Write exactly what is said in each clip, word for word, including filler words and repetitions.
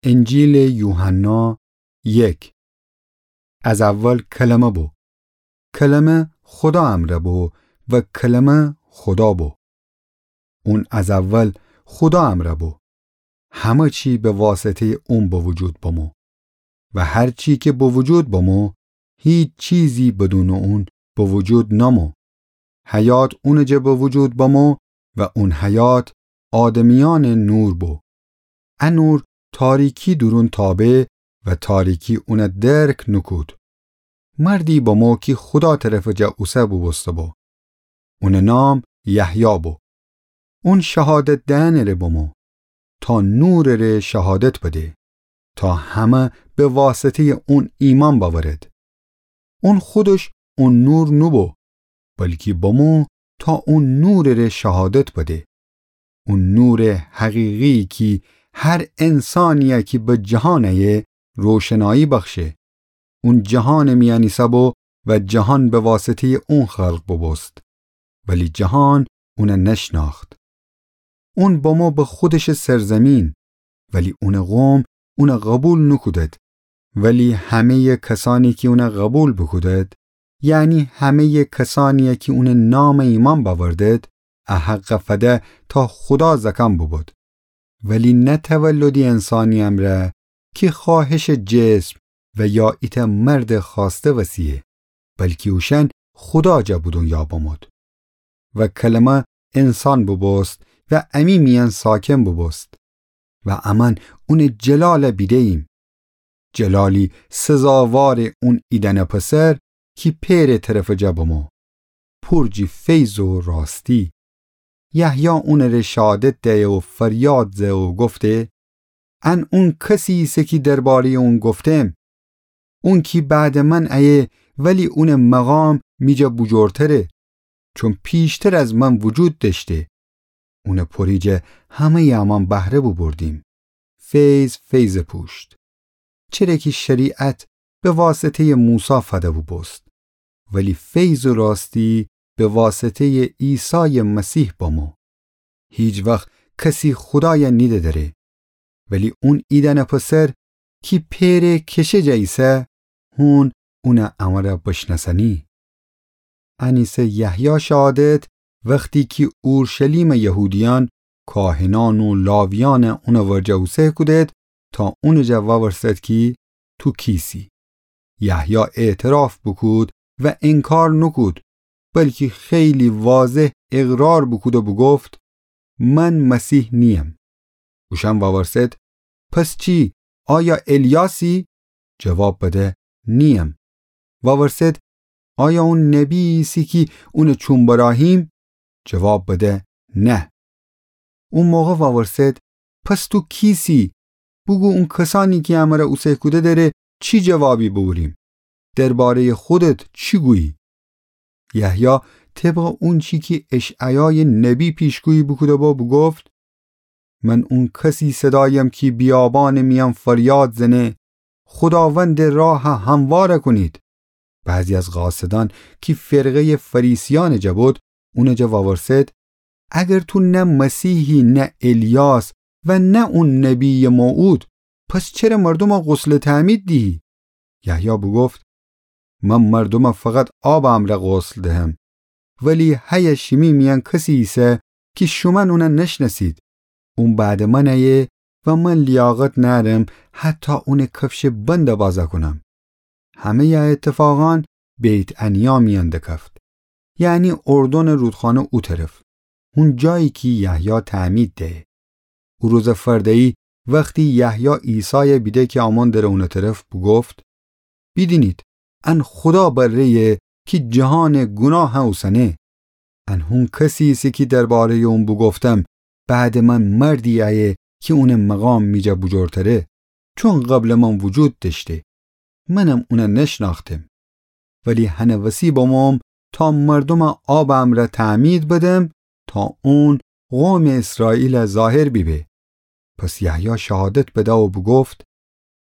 انجیلٚ یوحنا، یک. از اول کلمه بو. کلمه خودا امرأ بو و کلمه خودا بو. اون از اول خودا امرأ بو. همه چی به واسطه‌یٚ اون به وجود بمو. و هر چی کی به وجود بمو، هیچ چیزی بدونٚ اون به وجود نمو. حیات اونٚ جا به وجود بمو و اون حیات آدمیأنٚ نور بو. ا نور تاریکی دورون تابه و تاریکی اون درک نوکود. مردی بمو کی خودا طرفٚ جا اوسه بوبوسته بو. اونٚ نام یحیی بو. اون شهادت دئنٚ ره بمو تا نورٚ ره شهادت بده، تا همه به واسطه‌یٚ اون ایمأن بأورد. اون خودش اون نور نوبو، بلکی بمو تا اون نورٚ ره شهادت بده. اون نورٚ حقیقی کی هر انسانیی کی به جهان ایه روشنایی بخشه. اون جهانٚ میأن ایسه‌بو و جهان به واسطه‌یٚ اون خلق بوبوست، ولی جهان اون نشنأخت. اون بمو به خودشٚ سرزیمین، ولی اونٚ قوم اون قبول نوکودد. ولی همه‌یٚ کسأنی کی اون قبول بوکودد، یعنی همه‌یٚ کسأنیی کی اونٚ نام ایمأن بأوردد، ا حق فده تا خودا زأکأن بوبود. ولی نه تولدی انسانی امرأ کی خوأهشٚ جسم و یا ایتأ مردٚ خوأسته وسیه، بلکی اوشأن خودا جا به دونیا بمود. و کلمه انسان بوبوست و امی میأن ساکن بوبوست. و امأن اونٚ جلال بیده‌ییم. جلالی سزاوارٚ اون ایدأنٚ پسر کی پئرٚ طرفٚ جا بمو. پور جی فیض و راستی. یحیی اونٚ ره شهادت دئه و فریاد زه و گفته: ان اون کسی ایسه کی درباره‌یٚ اون گفتم. اون کی بعدٚ من ایه، ولی اونٚ مقام می جا بوجورتره، چون پیشتر از من وجود دأشته. اونٚ پوری جا همه‌یٚ امأن بهره بوبردیم. فیض فیضٚ پوشت. چره کی شریعت به واسطه‌یٚ موسی فده بوبوست، ولی فیض و راستی به واسطه‌یٚ عیسایٚ مسیح بمو. هیچ وخت کسی خودای نیده دأره، ولی اون ایدأنٚ پسر کی پئرٚ کشه جا ایسه، هون اون امر بشنأسنی. ان ایسه یحیی شهادت وختی کی اورشلیمٚ یهودیأن، کاهنأن و لاویأن اونٚ ورجه اوسه کودد تا اونٚ جا وورسد کی تو کیسی. یحیی اعتراف بوکود و انکار نوکود، بلکی خیلی واضح اقرار بوکود و بوگفت: من مسیح نییم. اوشأن وورسد: پس چی؟ آیا الیاسی؟ جواب بده: نییم. وورسد: آیا اون نبی ایسی کی اونٚ چوم براهیم؟ جواب بده: نه. او موقع وورسد: پس تو کیسی؟ بوگو اون کسأنی کی امر اوسه کوده دره چی جوابی بوریم؟ درباره‌یٚ خودت چی گویی؟ یحیی طبقٚ اونچی کی اشعیایٚ نبی پیشگویی بوکوده‌بو بوگفت: من اون کسی صدایم کی بیابانٚ میأن فریاد زنه: خوداوندٚ راه هموار کونید. بعضی از قاصدأن کی فرقه‌یٚ فریسیأنٚ جا بود، اونٚ جا وورسد: اگر تو نه مسیحی، نه الیاس و نه اون نبییٚ موعود، پس چره مردوم غسلٚ تعمید دیهی؟ یحیی بوگفت: من مردوم فقط آبٚ امر غسل دهم، ولی هیه شیمی میأن کسی ایسه کی شومأن اون نشنأسید. اون بعدٚ من ایه و من لیاقت نأرم حتی اونٚ کفشٚ بند بازا کونم. همه‌یٚ ا اتفاقأن بیت‌عنیا میأن دکفت، یعنی اردنٚ رودخانه او طرف، هون جایی کی یحیی تعمید دهه. او روزٚ فرده‌یی وختی یحیی عیسای بیده کی آمون دره اونٚ طرف، بوگفت: بیدینید، ان خودا بره‌یه کی جهانٚ گوناه اوسنه. ان هون کسی ایسه کی درباره‌یٚ اون بوگفتم: بعدٚ من مردی ایه کی اونٚ مقام می جا بوجورتره، چون قبلٚ من وجود دأشته. منم اون نشنأختم. ولی هنٚ وسی بموم تا مردوم آبٚ امر تعمید بدم تا اون قومٚ اسرائیل ظاهر بیبه. پس یحیی شهادت بده و بوگفت: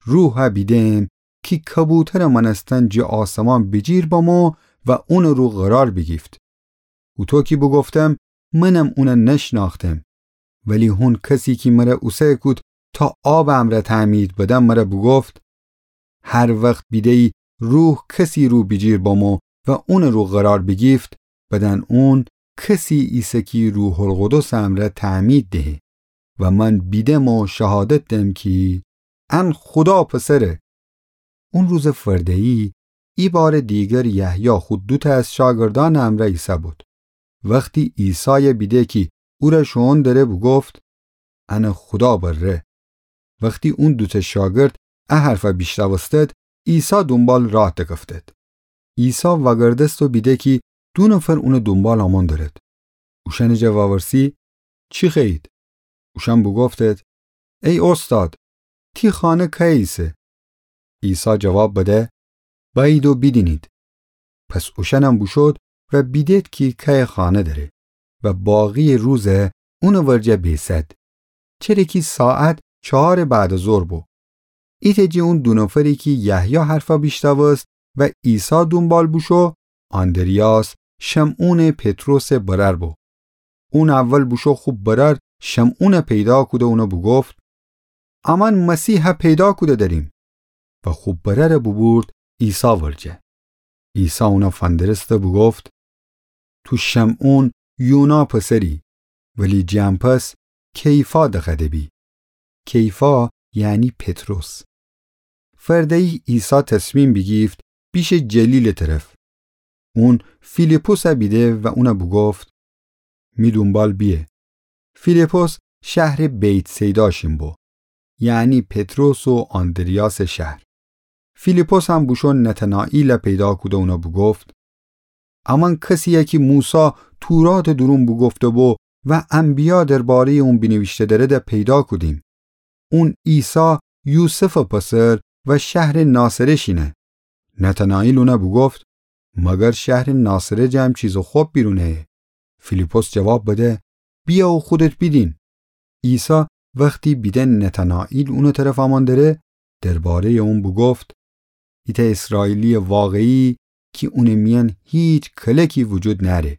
روح بیدم کی کبوترٚ مأنستن جٚه آسمان بیجیر بمو و اونٚ رو قرار بیگیفت. هوطو کی بوگفتم، منم اون نشنأختم. ولی هون کسی کی مر اوسه کود تا آبٚ امرأ تعمید بدم، مرأ بوگفت: هر وخت بیده‌یی روح کسی رو بیجیر بمو و اونٚ رو قرار بیگیفت، بدن اون کسی ایسه کی روح‌القدسٚ امرأ تعمید دهه. و من بیدم و شهادت دم کی ان خودا پسره. اون روزٚ فرده‌یی ایبارٚ دیگر یحیی خو دوتأ از شاگردأنٚ امرأ ایسه‌بود. وختی عیسای بیده کی اورأ شوئون دره، بوگفت: انه خودا بره. وختی اون دوتأ شاگرد ا حرفأ بیشنوستد، عیسی دونبال راه دکفتد. عیسی وأگردست و بیده کی دو نفر اونٚ دونبال آمون درد. اوشأنٚ جا وورسی: چی خوأیید؟ اوشأن بوگفتد: ای اوستاد، تی خانه کأیه ایسه؟ عیسی جواب بده: بأیید و بیدینید. پس اوشأنم بوشود و بیدد کی کأیه خانه دره و باقییٚ روزه اونٚ ورجه بیسد، چره کی ساعت چهارٚ بعد از ظهر بو. ایتأ جٚه اون دو نفری کی یحیی حرفأ بیشنوست و عیسی دونبال بوشو، آندریاس، شمعونٚ پطرسٚ برأر بو. اون اول بوشو خو برأر شمعونأ پیدا کوده، اونأ بوگفت: امأن مسیحأ پیدا کوده دریم. و خو برأرأ بوبورد عیسی ورجه. عیسی اونأ فندرست و بوگفت: تو شمعون یونا پسری، ولی جٚه ان پس کیفا دخوأده بی. کیفا یعنی پطرس. فرده‌یی عیسی تصمیم بیگیفت بیشه جلیلٚ طرف. اون فیلیپسأ بیده و اونأ بوگفت: می دونبال بیه. فیلیپس شهرٚ بیت‌صیدا شین بو، یعنی پطرس و آندریاسٚ شهر. فیلیپسم بوشو نتنائیلأ پیدا کوده، اونأ بوگفت: امأن کسیی کی موسی توراتٚ دورون بوگفته بو و انبیا درباره‌یٚ اون بینیویشته درده پیدا کودیم. اون عیسی، یوسفٚ پسر و شهرٚ ناصره شینه. نتنائیل اونأ بوگفت: مگر شهرٚ ناصره جم چیزٚ خب بیرون أیه؟ فیلیپس جواب بده: بیا و خودت بیدین. عیسی وختی بیده نتنائیل اونٚ طرف آمون دره، درباره‌یٚ اون بوگفت: ایتأ اسرائیلییٚ واقعی کی اونٚ میأن هیچ کلکی وجود نأره.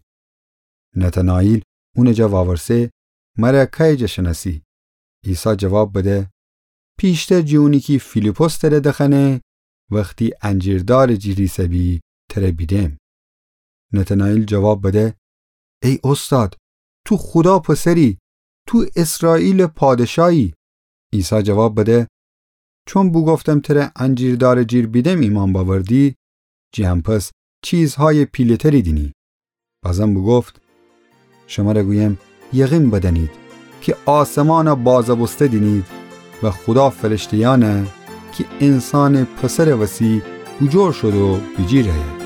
نتنائیل اونٚ جا وأورسه: مرأ کأیه جا شنأسی؟ عیسی جواب بده: پیشتر جٚه اونی کی فیلیپس تره دخأنه، وختی انجیردارٚ جیر ایسه‌بی تره بیدم. نتنائیل جواب بده: ای اوستاد، تو خودا پسری، تو اسرائیلٚ پادشایی. عیسی جواب بده: چون بوگفتم تره انجیردارٚ جیر بیدم ایمأن بأوردی، جٚه ان پس چیزهایٚ پیله‌تری دینی. بازم بوگفت: شمره گویم، یقین بدأنید کی آسمانأ بازه بوسته دینید و خودا فرشته‌یأنأ کی انسانٚ پسرٚ وسی بوجور شود و بیجیر أیه.